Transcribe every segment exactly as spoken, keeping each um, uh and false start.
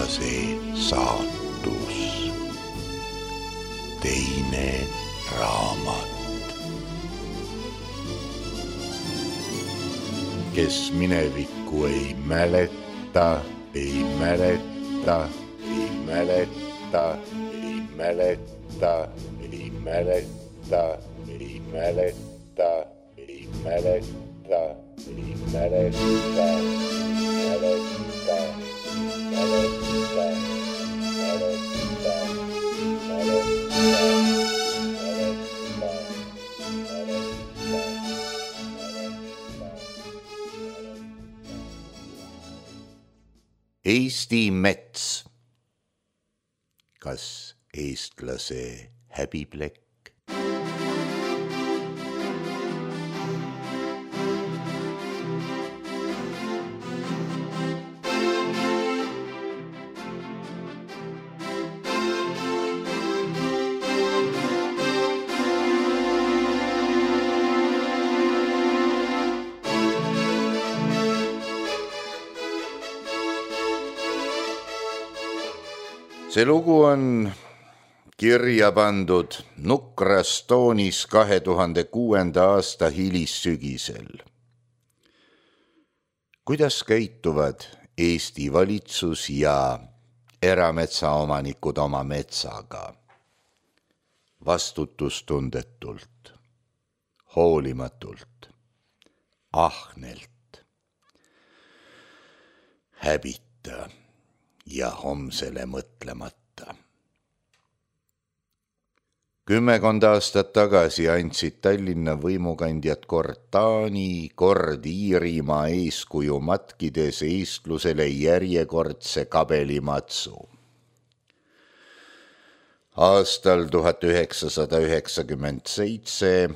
eestlase saatus. Teine raamat. Kes minevikku ei mäleta, ei mäleta, ei mäleta, ei mäleta, ei mäleta, ei mäleta, ei mäleta, ei mäleta, mäleta, mäleta, Eesti mets. Kas eestlase häbiplekk? See lugu on kirja pandud nukras toonis kahe tuhande kuuenda aasta hilissügisel. Kuidas käituvad Eesti valitsus ja erametsaomanikud oma metsaga? Vastutustundetult, hoolimatult, ahnelt, häbita ja homsele mõtlemata. Kümmekond aastat tagasi andsid Tallinna võimukandjad kord Taani, kord Iirimaa eeskuju matkides eestlusele järjekordse kabelimatsu. Aastal tuhat üheksasada üheksakümmend seitse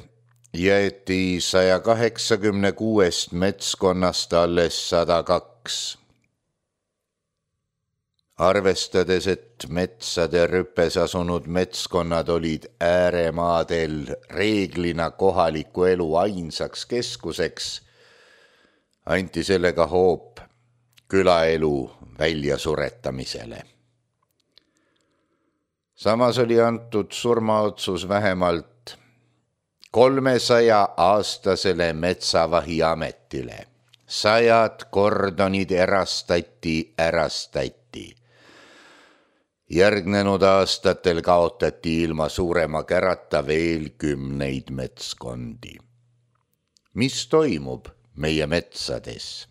jäeti saja kaheksakümne kuuest metskonnast alles sada kaks. Arvestades, et metsade rüppes asunud metskonnad olid ääremaadel reeglina kohaliku elu ainsaks keskuseks, anti sellega hoop külaelu väljasuretamisele. Samas oli antud surmaotsus vähemalt kolmesaja aastasele metsavahi ametile. Sajad kordonid erastati, ärastati. Järgnenud aastatel kaotati ilma suurema kärata veel kümneid metskondi. Mis toimub meie metsades?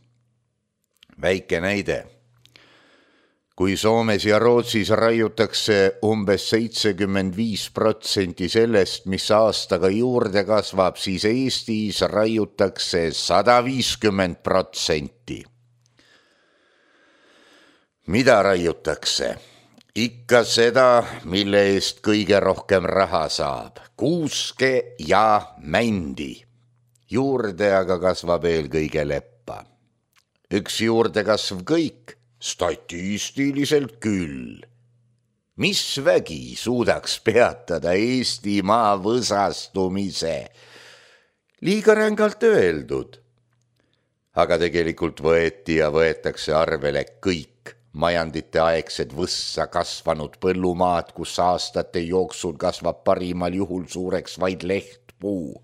Väike näide. Kui Soomes ja Rootsis raiutakse umbes seitsekümmend viis protsenti sellest, mis aastaga juurde kasvab, siis Eestis raiutakse sada viiskümmend protsenti. Mida raiutakse? Ikka seda, mille eest kõige rohkem raha saab. Kuuske ja mändi. Juurde aga kasvab eelkõige leppa. Üks juurde kasv kõik, statistiliselt küll. Mis vägi suudaks peatada Eestimaa võsastumise? Liiga rängalt öeldud. Aga tegelikult võeti ja võetakse arvele kõik majandite aegsed võssa kasvanud põllumaad, kus aastate jooksul kasvab parimal juhul suureks vaid lehtpuu.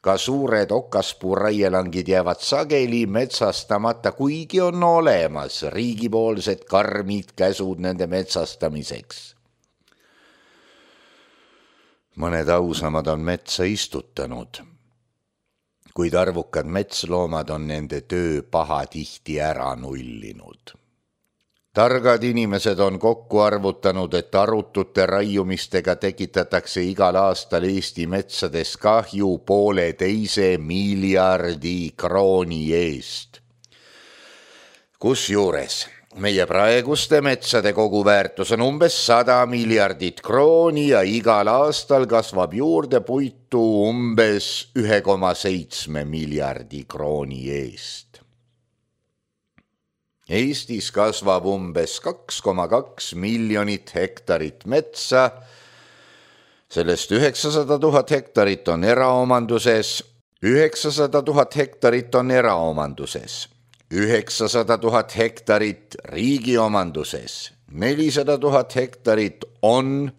Ka suured okaspuu raielangid jäävad sageli metsastamata, kuigi on olemas riigipoolsed karmid käsud nende metsastamiseks. Mõned ausamad on metsa istutanud, kuid arvukad metsloomad on nende töö pahatihti ära nullinud. Targad inimesed on kokku arvutanud, et arutute raiumistega tekitatakse igal aastal Eesti metsades kahju poole teise miljardi krooni eest. Kusjuures meie praeguste metsade koguväärtus on umbes sada miljardit krooni ja igal aastal kasvab juurde puitu umbes üks koma seitse miljardi krooni eest. Eestis kasvab umbes kaks koma kaks miljonit hektarit metsa, sellest üheksasada tuhat hektarit on eraomanduses, üheksasada tuhat hektarit on eraomanduses, üheksasada tuhat hektarit riigi omanduses, nelisada tuhat hektarit on,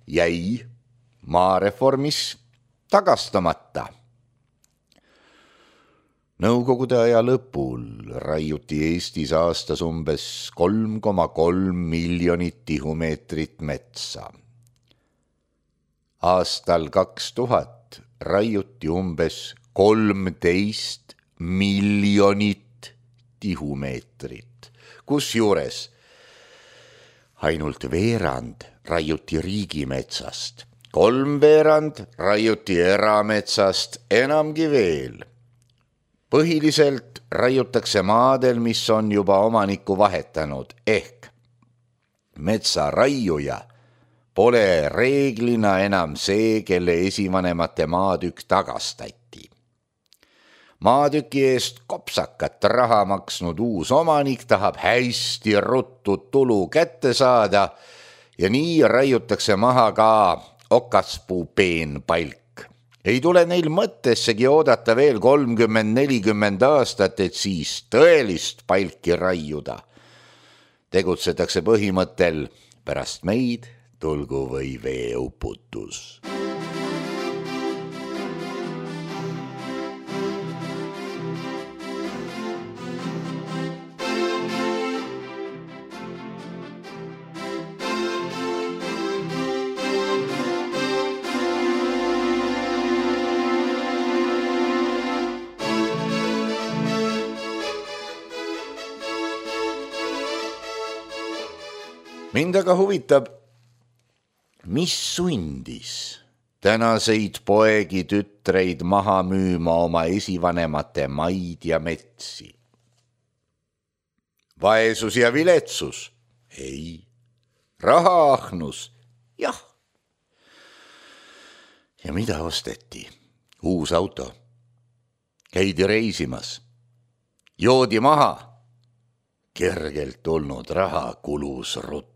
jäi maareformis tagastamata. Nõukogude aja lõpul raiuti Eestis aastas umbes kolm koma kolm miljonit tihumeetrit metsa. Aastal kaks tuhat raiuti umbes kolmteist miljonit tihumeetrit, kusjuures ainult veerand raiuti riigimetsast, kolm veerand raiuti erametsast, enamgi veel. Põhiliselt raiutakse maadel, mis on juba omanikku vahetanud, ehk metsaraiuja pole reeglina enam see, kelle esivanemate maatükk tagastati. Maatüki eest kopsakat raha maksnud uus omanik tahab hästi ruttu tulu kätte saada ja nii raiutakse maha ka okaspuu peenpalk. Ei tule neil mõttessegi oodata veel kolmkümmend nelikümmend aastat, et siis tõelist palki raiuda. Tegutsetakse põhimõttel pärast meid tulgu või veeuputus. Mind aga huvitab, mis sundis tänaseid poegi tütreid maha müüma oma esivanemate maid ja metsi. Vaesus ja viletsus? Ei. Rahaahnus? Jah. Ja mida osteti? Uus auto. Käidi reisimas. Joodi maha. Kergelt tulnud raha kulus ruttu.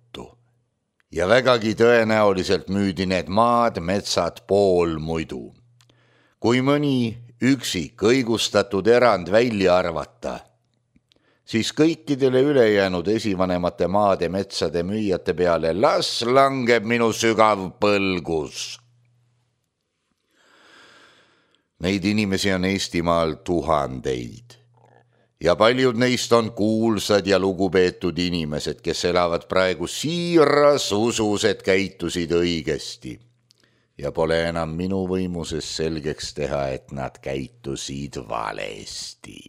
Ja vägagi tõenäoliselt müüdi need maad, metsad pool muidu. Kui mõni üksik õigustatud erand välja arvata, siis kõikidele ülejäänud esivanemate maade metsade müüjate peale las langeb minu sügav põlgus. Neid inimesi on Eestimaal tuhandeid. Ja paljud neist on kuulsad ja lugupeetud inimesed, kes elavad praegu siiras usus, et käitusid õigesti. Ja pole enam minu võimuses selgeks teha, et nad käitusid valesti.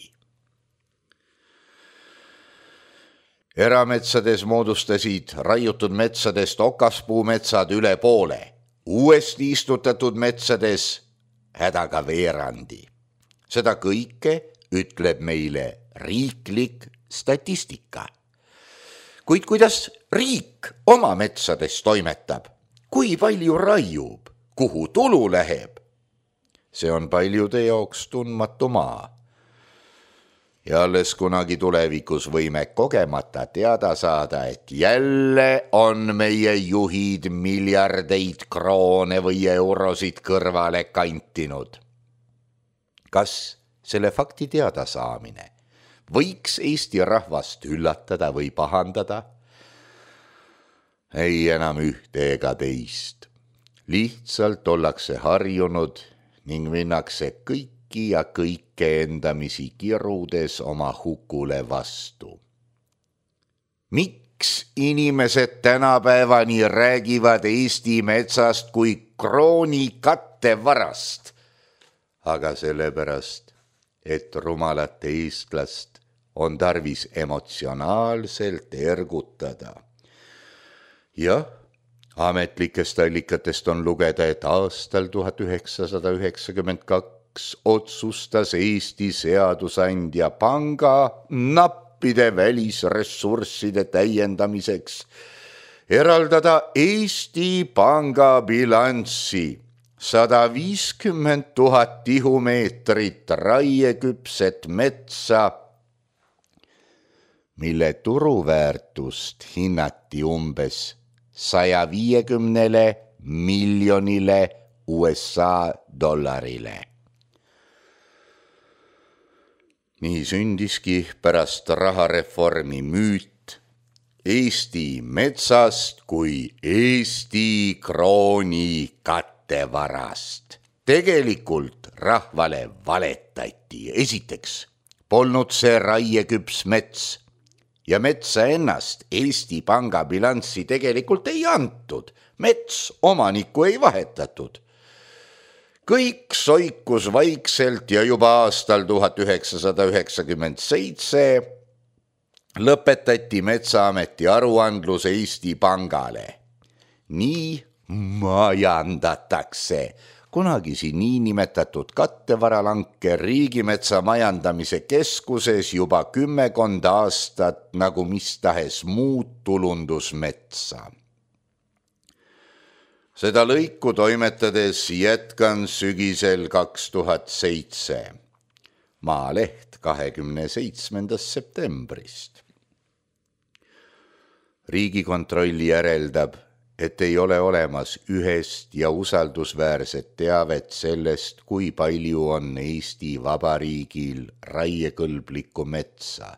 Erametsades moodustasid raiutud metsadest okaspuumetsad üle poole, uuesti istutatud metsades hädaga veerandi. Seda kõike ütleb meile riiklik statistika. Kuid kuidas riik oma metsades toimetab? Kui palju raiub? Kuhu tulu läheb? See on paljude jaoks tundmatu maa. Ja alles kunagi tulevikus võime kogemata teada saada, et jälle on meie juhid miljardeid kroone või eurosid kõrvale kantinud. Kas selle fakti teada saamine võiks Eesti rahvast üllatada või pahandada? Ei enam ühte ega teist. Lihtsalt ollakse harjunud ning minnakse kõiki ja kõike endamisi kirudes oma hukule vastu. Miks inimesed tänapäevani räägivad Eesti metsast kui krooni kattevarast? Aga sellepärast, et rumalat eestlast on tarvis emotsionaalselt ergutada. Jah, ametlikest allikatest on lugeda, et aastal tuhat üheksasada üheksakümmend kaks otsustas Eesti seadusandja panga nappide välisressursside täiendamiseks eraldada Eesti Panga bilanssi sada viiskümmend tuhat tihumeetrit raieküpset metsa, mille turuväärtust hinnati umbes saja viiekümnele miljonile U S A dollarile. Nii sündiski pärast rahareformi müüt Eesti metsast kui Eesti krooni kattevarast. Tegelikult rahvale valetati. Esiteks polnud see raieküps mets ja metsa ennast Eesti Panga bilanssi tegelikult ei antud. Mets omanikku ei vahetatud. Kõik soikus vaikselt ja juba aastal tuhat üheksasada üheksakümmend seitse lõpetati Metsaameti aruandlus Eesti Pangale. Nii majandatakse kunagisi niinimetatud kattevaralanke Riigimetsa Majandamise Keskuses juba kümmekond aastat nagu mis tahes muud tulundusmetsa. Seda lõiku toimetades jätkan sügisel kaks tuhat seitse. Maaleht kahekümne seitsmendast septembrist. Riigikontrolli järeldab, et ei ole olemas ühest ja usaldusväärset teavet sellest, kui palju on Eesti Vabariigil raiekõlblikku metsa,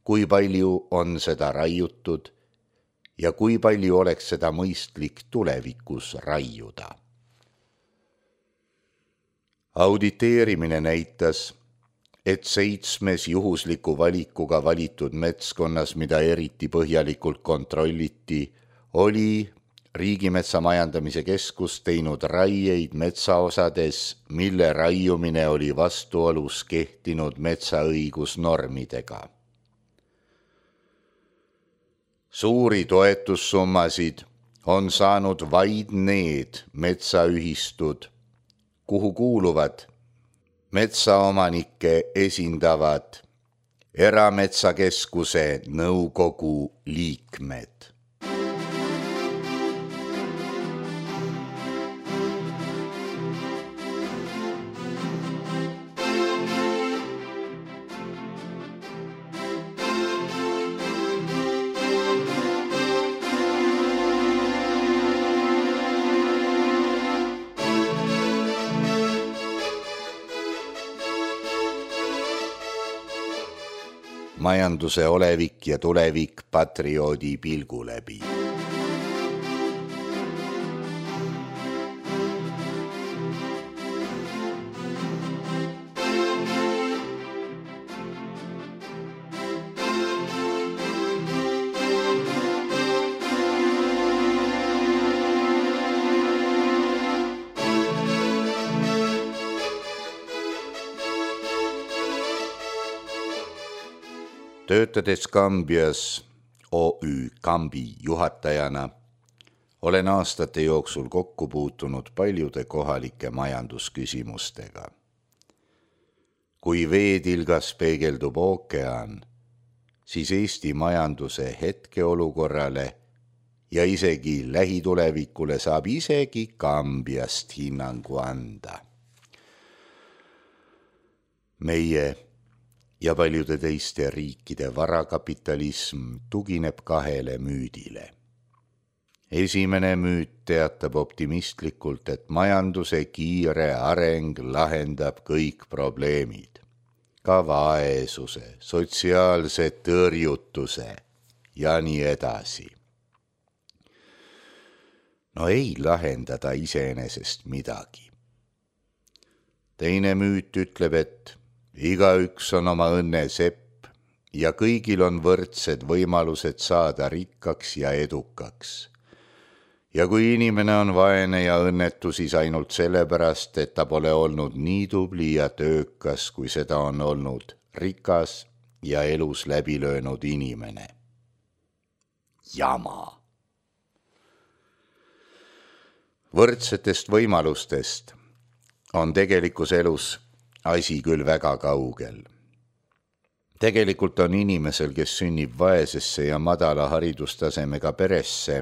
kui palju on seda raiutud ja kui palju oleks seda mõistlik tulevikus raiuda. Auditeerimine näitas, et seitsmes juhusliku valikuga valitud metskonnas, mida eriti põhjalikult kontrolliti, oli Riigimetsa Majandamise Keskus teinud raieid metsaosades, mille raiumine oli vastuolus kehtinud metsaõigusnormidega. Suuri toetussummasid on saanud vaid need metsaühistud, kuhu kuuluvad metsaomanikke esindavad Erametsakeskuse nõukogu liikmed. Majanduse olevik ja tulevik patrioodi pilgu läbi. Töötades Kambias O Ü Kambi juhatajana olen aastate jooksul kokku puutunud paljude kohalike majandusküsimustega. Kui veetilgas peegeldub ookean, siis Eesti majanduse hetkeolukorrale ja isegi lähitulevikule saab isegi Kambiast hinnangu anda. Meie ja paljude teiste riikide varakapitalism tugineb kahele müüdile. Esimene müüt teatab optimistlikult, et majanduse kiire areng lahendab kõik probleemid, ka vaesuse, sotsiaalse tõrjutuse ja nii edasi. No ei lahendada iseenesest midagi. Teine müüt ütleb, et igaüks on oma õnne sepp ja kõigil on võrdsed võimalused saada rikkaks ja edukaks. Ja kui inimene on vaene ja õnnetu, siis ainult sellepärast, et ta pole olnud nii tubli ja töökas, kui seda on olnud rikas ja elus läbi löönud inimene. Jama. Võrdsetest võimalustest on tegelikus elus asi küll väga kaugel. Tegelikult on inimesel, kes sünnib vaesesse ja madala haridustasemega peresse,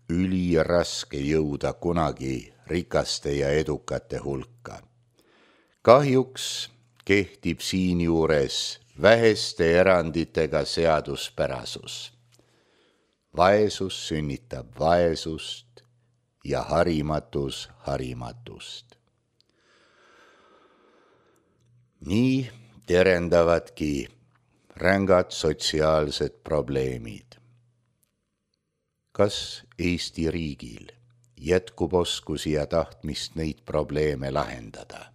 üliraske jõuda kunagi rikaste ja edukate hulka. Kahjuks kehtib siinjuures väheste eranditega seaduspärasus. Vaesus sünnitab vaesust ja harimatus harimatust. Nii terendavadki rängad sotsiaalsed probleemid. Kas Eesti riigil jätkub oskusi ja tahtmist neid probleeme lahendada?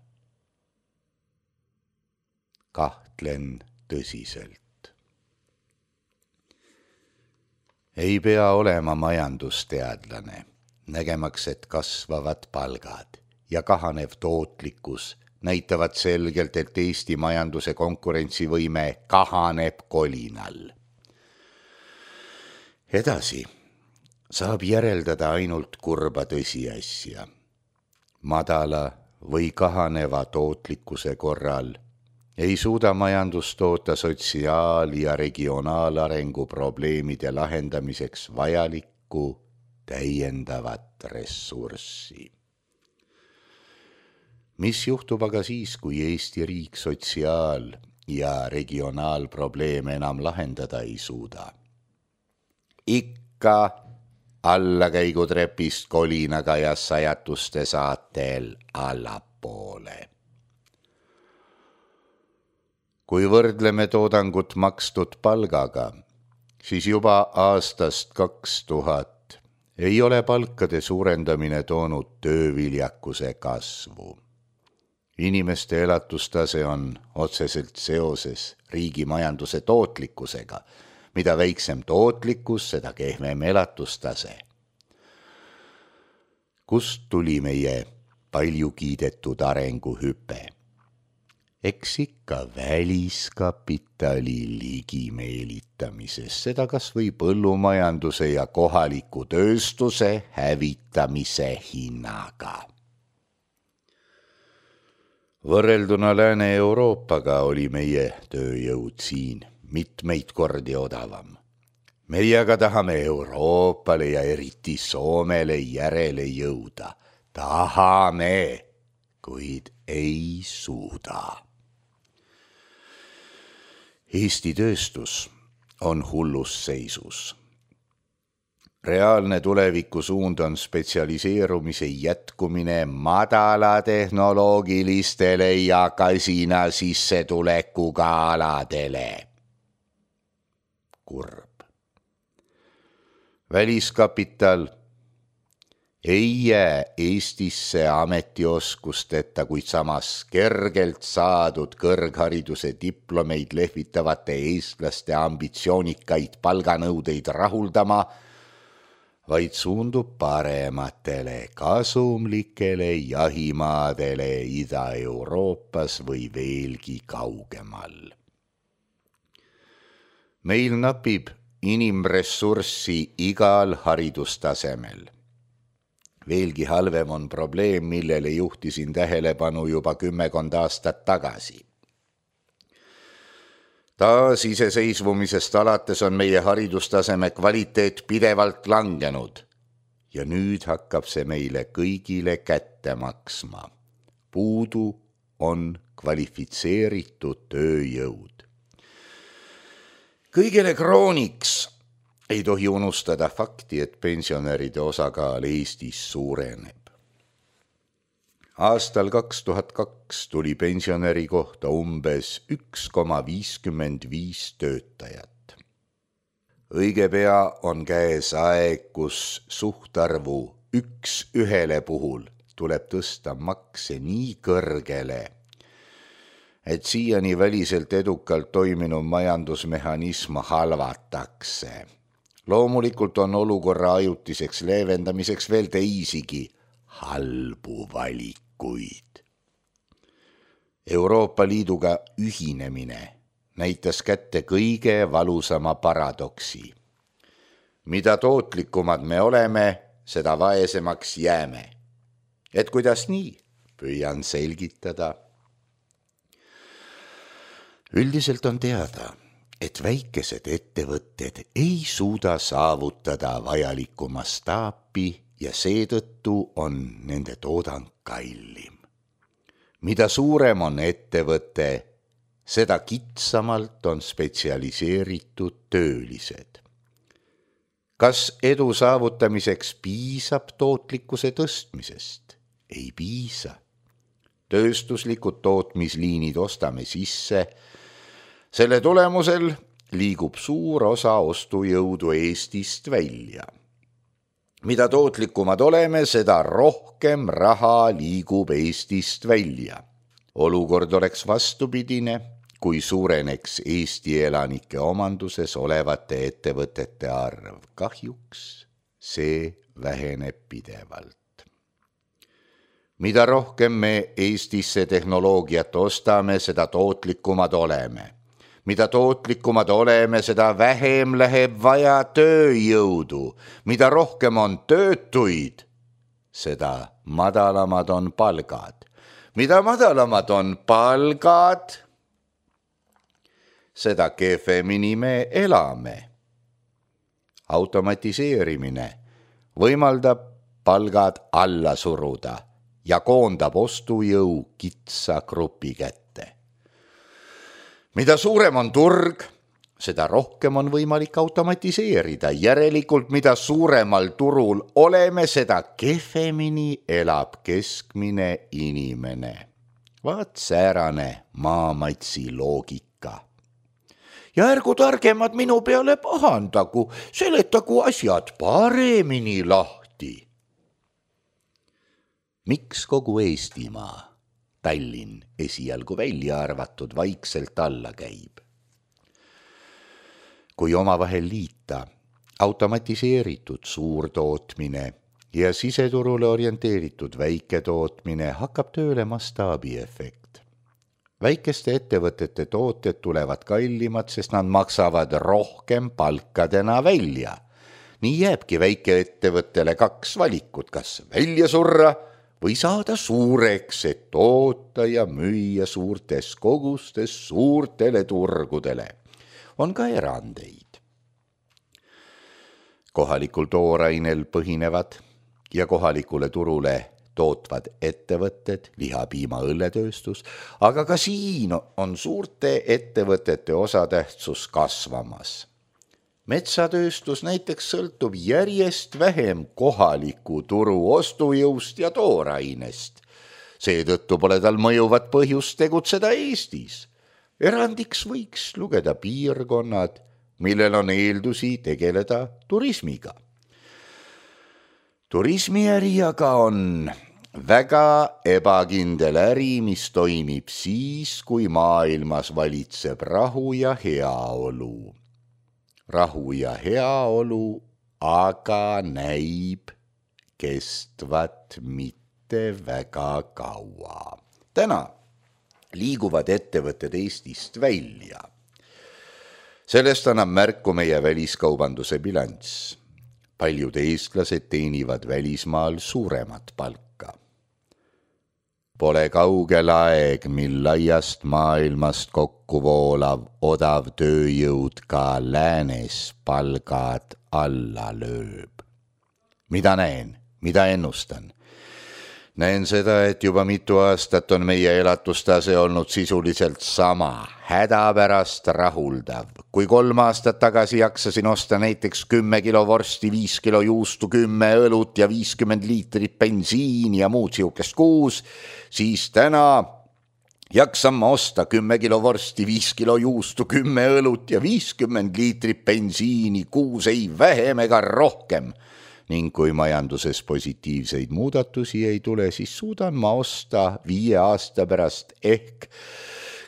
Kahtlen tõsiselt. Ei pea olema majandusteadlane, nägemaks, et kasvavad palgad ja kahanev tootlikkus näitavad selgelt, et Eesti majanduse konkurentsivõime kahaneb kolinal. Edasi saab järeldada ainult kurba tõsiasja. Madala või kahaneva tootlikkuse korral ei suuda majandus toota sotsiaal- ja regionaalarengu probleemide lahendamiseks vajalikku täiendavat ressurssi. Mis juhtub aga siis, kui Eesti riik sotsiaal- ja regionaalprobleeme enam lahendada ei suuda? Ikka allakäigutrepist kolinaga ja sajatuste saatel allapoole. Kui võrdleme toodangut makstud palgaga, siis juba aastast kaks tuhat ei ole palkade suurendamine toonud tööviljakuse kasvu. Inimeste elatustase on otseselt seoses riigi majanduse tootlikkusega. Mida väiksem tootlikkus, seda kehvem elatustase. Kust tuli meie palju kiidetud arenguhüpe? Eks ikka väliskapitali ligimeelitamises, seda kas või põllumajanduse ja kohaliku tööstuse hävitamise hinnaga. Võrrelduna Lääne-Euroopaga oli meie tööjõud siin mitmeid kordi odavam. Meie aga tahame Euroopale ja eriti Soomele järele jõuda. Tahame, kuid ei suuda. Eesti tööstus on hullus seisus. Reaalne tulevikusuund on spetsialiseerumise jätkumine madala tehnoloogilistele ja kasina sissetulekuga aladele. Kurb. Väliskapital ei jää Eestisse ametioskusteta, kuid samas kergelt saadud kõrghariduse diplomeid lehvitavate eestlaste ambitsioonikaid palganõudeid rahuldama, vaid suundub parematele kasumlikele jahimaadele Ida-Euroopas või veelgi kaugemal. Meil napib inimressurssi igal haridustasemel. Veelgi halvem on probleem, millele juhtisin tähelepanu juba kümmekond aastat tagasi. Taas iseseisvumisest alates on meie haridustaseme kvaliteet pidevalt langenud ja nüüd hakkab see meile kõigile kätte maksma. Puudu on kvalifitseeritud tööjõud. Kõigele krooniks ei tohi unustada fakti, et pensionäride osakaal Eestis suureneb. Aastal kaks tuhat kaks tuli pensionäri kohta umbes üks koma viiskümmend viis töötajat. Õige pea on käes aeg, kus suhtarvu üks ühele puhul tuleb tõsta makse nii kõrgele, et siiani väliselt edukalt toiminud majandusmehhanism halvatakse. Loomulikult on olukorra ajutiseks leevendamiseks veel teisigi halbu valikuid. Euroopa Liiduga ühinemine näitas kätte kõige valusama paradoksi. Mida tootlikumad me oleme, seda vaesemaks jääme. Et kuidas nii? Püüan selgitada. Üldiselt on teada, et väikesed ettevõtted ei suuda saavutada vajalikku mastaapi ja seetõttu on nende toodang kallim. Mida suurem on ettevõte, seda kitsamalt on spetsialiseeritud töölised. Kas edu saavutamiseks piisab tootlikkuse tõstmisest? Ei piisa. tööstuslikud tootmisliinid ostame sisse. Selle tulemusel liigub suur osa ostujõudu Eestist välja. Mida tootlikumad oleme, seda rohkem raha liigub Eestist välja. Olukord oleks vastupidine, kui suureneks Eesti elanike omanduses olevate ettevõtete arv. Kahjuks see väheneb pidevalt. Mida rohkem me Eestisse tehnoloogiat ostame, seda tootlikumad oleme. Mida tootlikumad oleme, seda vähem läheb vaja tööjõudu. Mida rohkem on töötuid, seda madalamad on palgad. Mida madalamad on palgad, seda kehvemini me elame. Automatiseerimine võimaldab palgad alla suruda ja koondab ostujõu kitsa grupi kätte. Mida suurem on turg, seda rohkem on võimalik automatiseerida. Järelikult, mida suuremal turul oleme, seda kehvemini elab keskmine inimene. Vaat säärane maamatsi loogika. Ja ärgu targemad minu peale pahandagu, seletagu asjad paremini lahti. Miks kogu Eestimaa, Tallinn esialgu välja arvatud, vaikselt alla käib? Kui omavahel liita automatiseeritud suurtootmine ja siseturule orienteeritud väiketootmine, hakkab tööle mastaabiefekt. Väikeste ettevõtete tooted tulevad kallimad, sest nad maksavad rohkem palkadena välja. Nii jääbki väikeettevõttele kaks valikut, kas välja surra või saada suureks, et toota ja müüa suurtes kogustes suurtele turgudele. On ka erandeid. Kohalikul toorainel põhinevad ja kohalikule turule tootvad ettevõtted, liha, piima, õlletööstus, aga ka siin on suurte ettevõtete osatähtsus kasvamas. Metsatööstus näiteks sõltub järjest vähem kohaliku turu ostujõust ja toorainest. Seetõttu pole tal mõjuvat põhjust tegutseda Eestis. Erandiks võiks lugeda piirkonnad, millel on eeldusi tegeleda turismiga. Turismiäri aga on väga ebakindel äri, mis toimib siis, kui maailmas valitseb rahu ja heaolu. Rahu ja heaolu aga näib kestvat mitte väga kaua. Täna liiguvad ettevõtted Eestist välja. Sellest annab märku meie väliskaubanduse bilanss. Paljud eestlased teenivad välismaal suuremat palka. Pole kaugel aeg, mil laiast maailmast kokku voolav odav tööjõud ka läänes palgad alla lööb. Mida näen, mida ennustan? Näen seda, et juba mitu aastat on meie elatustase olnud sisuliselt sama, hädapärast rahuldav. Kui kolm aastat tagasi jaksasin osta näiteks kümme kilo vorsti, viis kilo juustu, kümme õlut ja viiskümmend liitrit bensiini ja muud siukest kuus, siis täna jaksan ma osta kümme kilo vorsti, viis kilo juustu, kümme õlut ja viiskümmend liitrit bensiini kuus, ei vähem ega rohkem. Ning kui majanduses positiivseid muudatusi ei tule, siis suudan ma osta viie aasta pärast ehk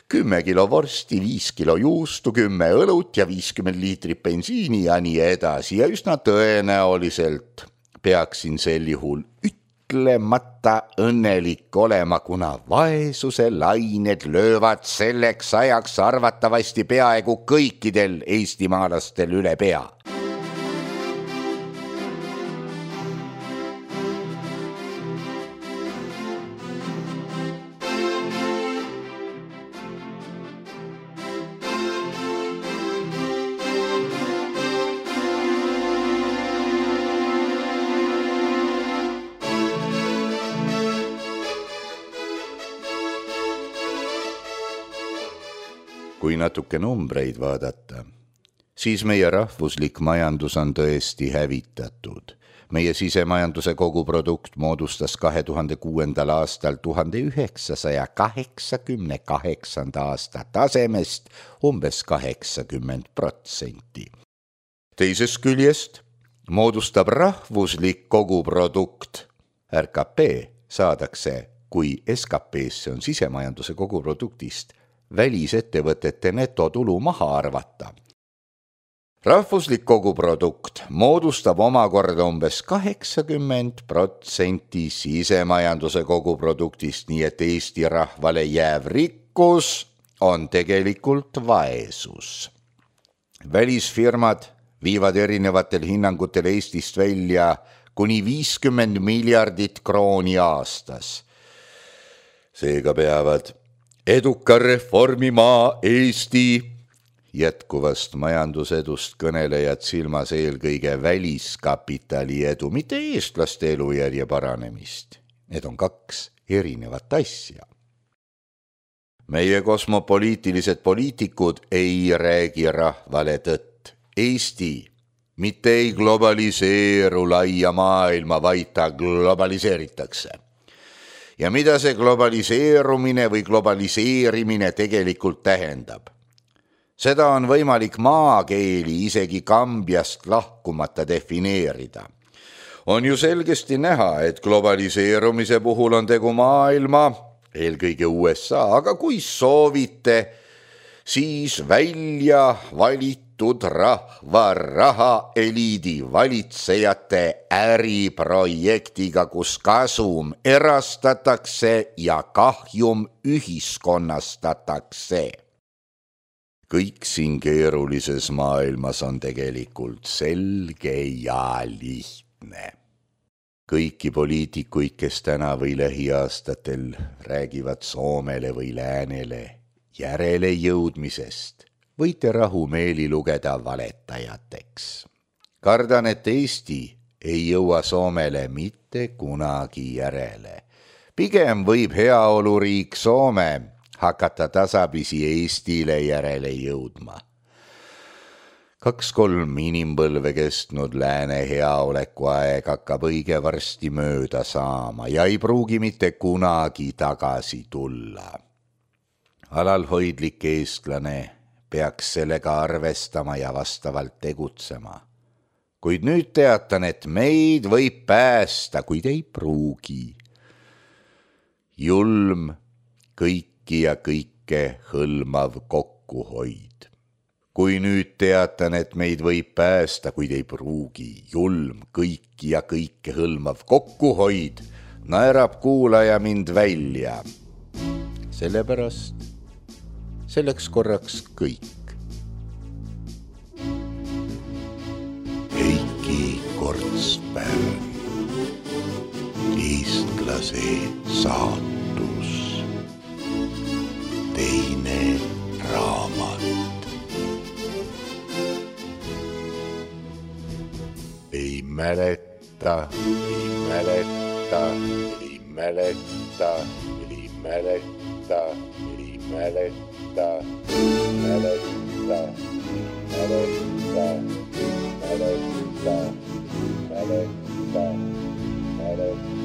kümme kilo vorsti, viis kilo juustu, kümme õlut ja viiskümmend liitrit bensiini ja nii edasi. Ja üsna tõenäoliselt peaksin sel juhul ütlemata õnnelik olema, kuna vaesuse lained löövad selleks ajaks arvatavasti peaaegu kõikidel eestimaalastel üle pea. Kui natuke numbreid vaadata, siis meie rahvuslik majandus on tõesti hävitatud. Meie sisemajanduse koguprodukt moodustas kahe tuhande kuuendal aastal tuhande üheksasaja kaheksakümne kaheksanda aasta tasemest umbes kaheksakümmend protsenti. Teisest küljest moodustab rahvuslik koguprodukt, R K P saadakse, kui S K P-sse on sisemajanduse koguproduktist välisettevõtete netotulu maha arvata. Rahvuslik koguprodukt moodustab omakorda umbes kaheksakümmend protsenti sisemajanduse koguproduktist, nii et Eesti rahvale jääv rikkus on tegelikult vaesus. Välisfirmad viivad erinevatel hinnangutel Eestist välja kuni viiskümmend miljardit krooni aastas. Seega peavad eduka reformimaa Eesti jätkuvast majandusedust kõnelejad silmas eelkõige väliskapitali edu, mitte eestlaste elujärje paranemist. Need on kaks erinevat asja. Meie kosmopoliitilised poliitikud ei räägi rahvale tõtt. Eesti mitte ei globaliseeru laia maailma, vaid ta globaliseeritakse. Ja mida see globaliseerumine või globaliseerimine tegelikult tähendab? Seda on võimalik maakeeli isegi Kambiast lahkumata defineerida. On ju selgesti näha, et globaliseerumise puhul on tegu maailma, eelkõige U S A, aga kui soovite, siis välja valitud rahva raha eliidi valitsejate äriprojektiga, kus kasum erastatakse ja kahjum ühiskonnastatakse. Kõik siin keerulises maailmas on tegelikult selge ja lihtne. Kõiki poliitikuid, kes täna või lähiaastatel räägivad Soomele või Läänele järele jõudmisest, võite rahumeeli lugeda valetajateks. Kardan, et Eesti ei jõua Soomele mitte kunagi järele. Pigem võib heaoluriik Soome hakata tasapisi Eestile järele jõudma. Kaks-kolm inimpõlve kestnud lääne heaoleku aeg hakkab õige varsti mööda saama ja ei pruugi mitte kunagi tagasi tulla. Alalhoidlik eestlane peaks sellega arvestama ja vastavalt tegutsema. Kuid nüüd teatan, et meid võib päästa, kuid ei pruugi. Julm, kõik ja kõike hõlmav kokkuhoid. Kui nüüd teatan, et meid võib päästa, kuid ei pruugi, julm, kõiki ja kõike hõlmav kokkuhoid, naerab kuulaja mind välja. Sellepärast selleks korraks kõik. Heiki Kortsberg, eestlase saatus. Teine raamat. Ei mäleta, ei mäleta, ei mäleta, ei mäleta, ei mäleta, mäleta, mäleta, mäleta, mäleta, mäleta.